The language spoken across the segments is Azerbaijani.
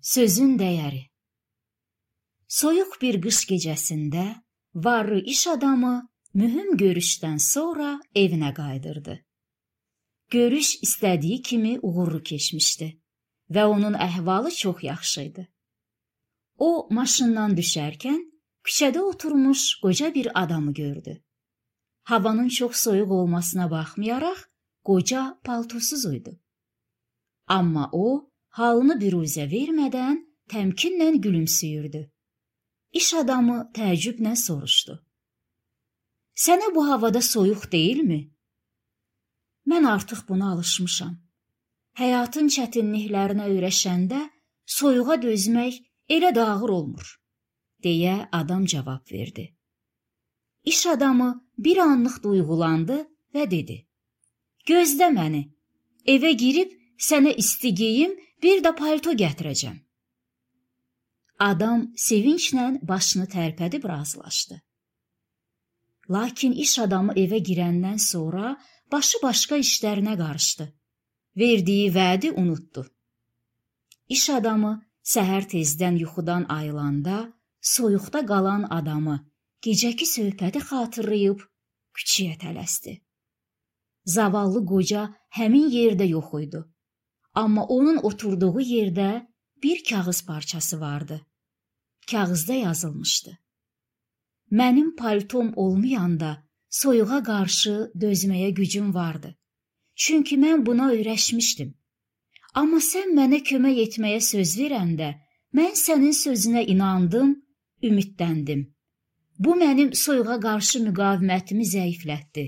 Sözün dəyəri. Soyuq bir qış gecəsində varlı iş adamı mühüm görüşdən sonra evinə qayıdırdı. Görüş istədiyi kimi uğurlu keçmişdi və onun əhvalı çox yaxşı idi. O, maşından düşərkən küçədə oturmuş qoca bir adamı gördü. Havanın çox soyuq olmasına baxmayaraq, qoca paltosuz idi. Amma o, halını büruzə vermədən təmkinlə gülümsüyürdü. İş adamı təəccüblə soruşdu. Sənə bu havada soyuq deyilmi? Mən artıq buna alışmışam. Həyatın çətinliklərinə öyrəşəndə soyuğa dözmək elə də ağır olmur, deyə adam cavab verdi. İş adamı bir anlıq duyğulandı və dedi. Gözlə məni, evə girib sənə isti geyim, bir də palto gətirəcəm. Adam sevinclə başını tərpədib razılaşdı. Lakin iş adamı evə girəndən sonra başı başqa işlərinə qarışdı. Verdiyi vədi unutdu. İş adamı səhər tezdən yuxudan ayılanda soyuqda qalan adamı gecəki söhbəti xatırlayıb küçəyə tələsdi. Zavallı qoca həmin yerdə yox idi. Amma onun oturduğu yerdə bir kağız parçası vardı. Kağızda yazılmışdı. Mənim paltom olmayanda soyuğa qarşı dözməyə gücüm vardı. Çünki mən buna öyrəşmişdim. Amma sən mənə kömək etməyə söz verəndə, mən sənin sözünə inandım, ümidləndim. Bu mənim soyuğa qarşı müqavimətimi zəiflətdi.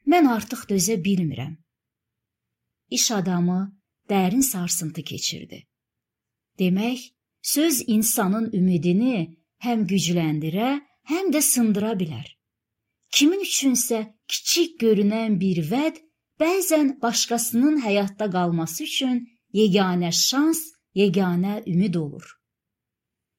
Mən artıq dözə bilmirəm. İş adamı dərin sarsıntı keçirdi. Demək, söz insanın ümidini həm gücləndirə, həm də sındıra bilər. Kimin üçünsə kiçik görünən bir vəd bəzən başqasının həyatda qalması üçün yeganə şans, yeganə ümid olur.